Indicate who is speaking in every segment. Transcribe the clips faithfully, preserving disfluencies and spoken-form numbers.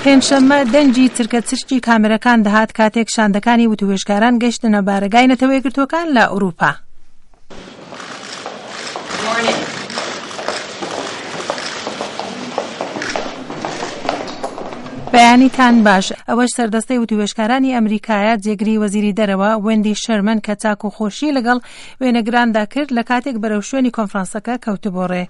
Speaker 1: پێنجشەممە دەنگی چرکە چرکی کامێرەکان دەهات کاتێک شاندەکانی وتوێژکاران گەشتنە بارەگای نەتەوە یەکگرتووەکان لە ئەوروپا.
Speaker 2: Morning.
Speaker 1: بەیانیتان باش. ئەوەش سەردەستەی وتوێژکارانی ئەمریکایە جێگری وەزیری دەرەوە وێندی شەرمن کە چاک و خۆشی لەگەڵ وێنەگراندا کرد لە کاتێک بەرەو شوێنی کۆنفرانسەکە کەوتبۆ ڕێ.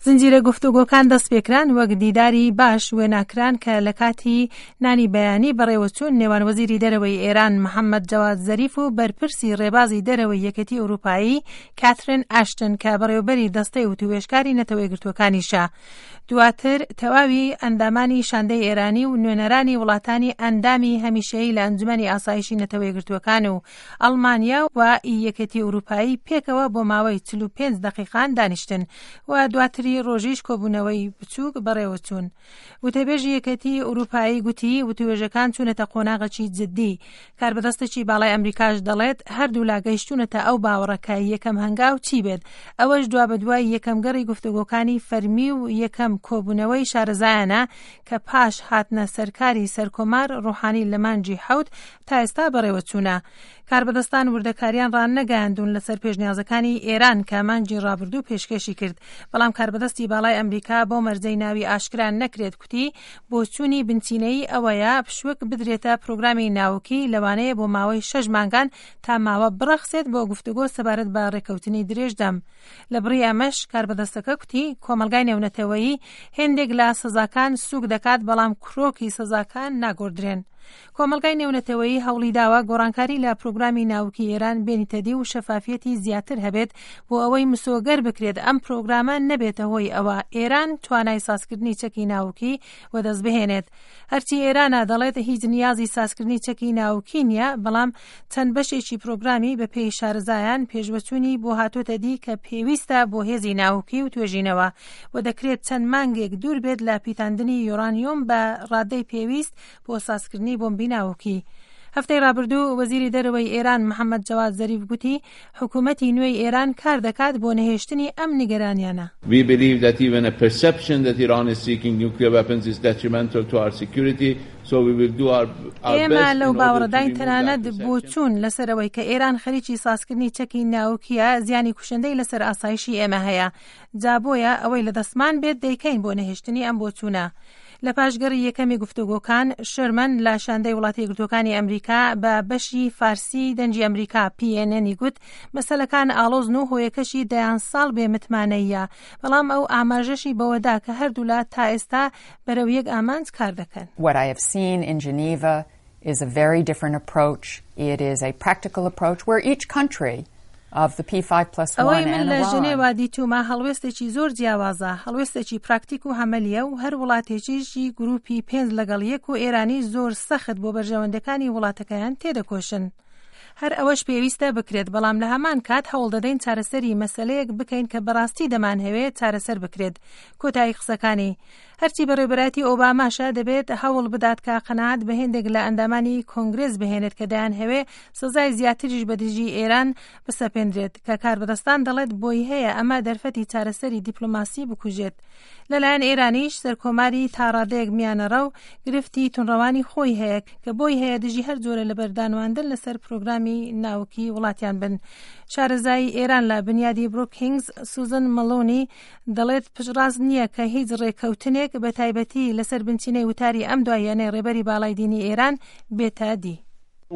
Speaker 1: زنجیرە گفتوگۆکان دەست پێکران وەک دیداری باش وێناکران کە لە کاتی نانی بەیانی بەڕێوەچوون نێوان وەزیری دەرەوەی ئێران محەممەد جەواد زەریف و بەرپرسی ڕێبازی دەرەوەی یەکێتی ئەوروپایی کاترین ئاشتن کە بەڕێوەبەری دەستەی وتوێژکاری نەتەوە یەکگرتووەکانیشە. دواتر تەواوی ئەندامانی شاندەی ئێرانی و نوێنەرانی وڵاتانی ئەندامی هەمیشەیی لە ئەنجومەنی ئاسایشی نەتەوە یەکگرتووەکان و ئەڵمانیا و یەکێتی ئەوروپایی پێکەوە بۆ ماوەی چل و پێنج دەقیقان دانیشتن و دواتری ڕۆژیش کۆبوونەوەی بچووک بەڕێوەچوون. وتەبێژی یەکێتی ئەوروپایی گوتی وتوێژەکان چوونەتە قۆناغێکی جدی. کاربەدەستێکی باڵای ئەمریکاش دەڵێت هەردوولا گەیشتوونەتە ئەو باوەڕە کە یەکەم هەنگاو چی بێت، ئەوەش دوابەدوای یەکەم گەڕی گفتوگۆکانی فەرمی و یەکەم کۆبوونەوەی شارەزایانە کە پاش هاتنە سەرکاری سەرکۆمار ڕۆحانی لە مانگی حەوت تا ئێستا بەڕێوەچوونە. کاربەدەستان وردەکاریان ڕانەگەیاندوون لەسەر پێشنیازەکانی ئێران کە مانگی ڕابردوو پێشکێشی کرد، بەڵام کاربەدەستی باڵای ئەمریکا بۆ مەرجەی ناوی ئاشکرا نەکرێت کوتی بۆچوونی بنچینەیی ئەوەیە پشووک بدرێتە پرۆگرامی ناوکی لەوانەیە بۆ ماوەی شەش مانگان تا ماوە بڕەخسێت بۆ گفتوگۆ سەبارەت بە ڕێککەوتنی درێژدەم. لە بڕی ئەمەش کاربەدەستەکە کوتی کۆمەلگای نێونەتەوەیی هێندێک لە سزاکان سوک دەکات، بەڵام کرۆکی سزاکان ناگۆڕدرێن. کۆمەلگای نێونەتەوەیی هەوڵی داوە گۆڕانکاری لە پرۆگرامی ناوکی ئێران بێنیتەدی و شەفافیەتی زیاتر هەبێت بۆ ئەوەی مسۆگەر بکرێت ئەم پرۆگرامە نەبێتە هۆی ئەوە ئێران توانای سازکردنی چەکی ناوکی وەدەست بهێنێت. هەرچی ئێرانە دەڵێت هیچ نیازی سازکردنی چەکی ناوکی نییە، بەڵام چەند بەشێکی پرۆگرامی بە پێی شارەزایان پێشوەچوونی بۆ هاتۆتە دی کە پێویستە بۆ هێزی ناوکی و توێژینەوە و دەکرێت چەند مانگێک دوور بێت لە پیتاندنی یۆرانیۆم بە ڕادەی پێویست بۆ سازکردنی بۆمبی ناوکی. هەفتەی ڕابردوو وەزیری دەرەوەی ئێران محەممەد جەواد زەریف گوتی حکوومەتی نوێی ئێران کار دەکات بۆ نەهێشتنی ئەم نیگەرانیانە.
Speaker 3: We believe that even a perception that Iran is seeking nuclear weapons is detrimental to our security, so we will do our, our
Speaker 1: ئێمە
Speaker 3: best
Speaker 1: لەو
Speaker 3: in order to
Speaker 1: باوەڕداین
Speaker 3: remove that
Speaker 1: تەنانەت
Speaker 3: perception.
Speaker 1: بۆچوون لەسەرەوەی کە ئێران خەریکی سازکردنی چەکی ناوکیە زیانی کوشندەی لەسەر ئاسایشی ئێمە هەیە، جا بۆیە ئەوەی لە دەستمان بێت دەیکەین بۆ نەهێشتنی ئەم بۆچوونە. لە پاشگەڕی یەکەمی گفتوگۆکان شەرمن لە شاندەی وڵاتی یەکگرتووەکانی ئەمریکا بە بەشی فارسی دەنگی ئەمریکا P N N گوت مەسەلەکان ئاڵۆزن و هۆیەکەشی دەیان ساڵ بێمتمانەیە، بەڵام ئەو ئاماژەشی بەوەدا کە هەردوولا تا ئێستا بەرەو یەک ئامانج کار دەکەن.
Speaker 2: What I have seen in Geneva is a very different approach. It is a practical approach where each country of the P five plus one
Speaker 1: ئەوەی من
Speaker 2: and
Speaker 1: لە
Speaker 2: Iran
Speaker 1: ژنێوا دیتومە هەڵوێستێکی زۆر جیاوازە، هەڵوێستێکی پراکتیک و عەمەلیە و هەر وڵاتێکیشی گروپی پێنج لەگەڵ یەک و ئێرانی زۆر سەخت بۆ بەرژەوەندەکانی وڵاتەکەیان تێدەکۆشن. هەر ئەوەش پێویستە بکرێت، بەڵام لە هەمان کات هەوڵ دەدەین چارەسەری مەسەلەیەک بکەین کە بەڕاستی دەمانهەوێت چارەسەر بکرێت. کۆتایی قسەکانی هەرچی بەڕێوەبەرایەتی ئۆباماشە دەبێت هەوڵ بدات کە قەناعەت بە هێندێک لە ئەندامانی کۆنگرێس بهێنێت کە دەیانهەوێ سزای زیاتریش بە دژی ئێران بسەپێندرێت کە کاربەدەستان دەڵێت بۆی هەیە ئەمە دەرفەتی چارەسەری دیپلۆماسی بکوژێت. لەلایەن ئێرانیش سەرکۆماری تاڕادەیەک میانەڕەو گرفتی تونڕەوانی خۆی هەیە کە بۆی هەیە دژی هەر جۆرە لە بەردانواندن لەسەر پرۆگرامی ناوکی وڵاتیان بن. شارەزای ئێران لە بنیادی بروکینگز سوزن مەلۆنی دەڵێت پشتڕاست نییە کە هیچ ڕێککەوتنێک بە تایبەتی لەسەر بنچینەی وتاری ئەم دواییانەی ڕێبەری باڵای دینی ئێران بێتە دی.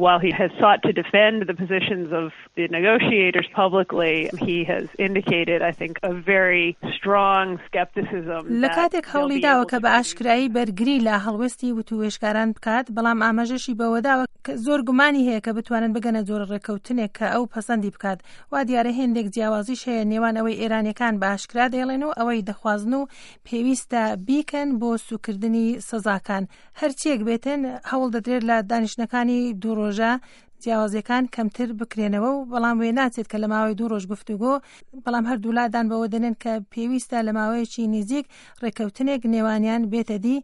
Speaker 4: While he has sought to defend the positions of the negotiators publicly, he has indicated, I think, a very strong skepticism
Speaker 1: لە
Speaker 4: that
Speaker 1: کاتێک
Speaker 4: they'll
Speaker 1: هەوڵی
Speaker 4: be
Speaker 1: داوە
Speaker 4: able
Speaker 1: کە
Speaker 4: to
Speaker 1: بە ئاشکرایی بەرگری لە هەڵوێستی وتوێژکاران بکات، بەڵام ئاماژەشی بەوەداوە کە زۆر گومانی هەیە کە بتوانن بگەنە جۆرە ڕێککەوتنێک کە ئەو پەسەندی بکات. وا دیارە هێندێک جیاوازیش هەیە نێوان ئەوەی ئێرانیەکان بە ئاشکرا دەیڵێن و ئەوەی دەخوازن و پێویستە بیکەن بۆ سوکردنی سزاکان. هەرچیەک بێتن هەوڵ دەدرێت لە دانیشتنەکانی دوو ڕۆژە جیاوازیەکان کەمتر بکرێنەوە و بەڵام وێ ناچێت کە لە ماوەی دوو ڕۆژ گفتوگۆ، بەڵام هەردوو لادان بەوە دەنێن کە پێویستە لە ماوەیەکی نزیک ڕێککەوتنێک نێوانیان بێتە دی.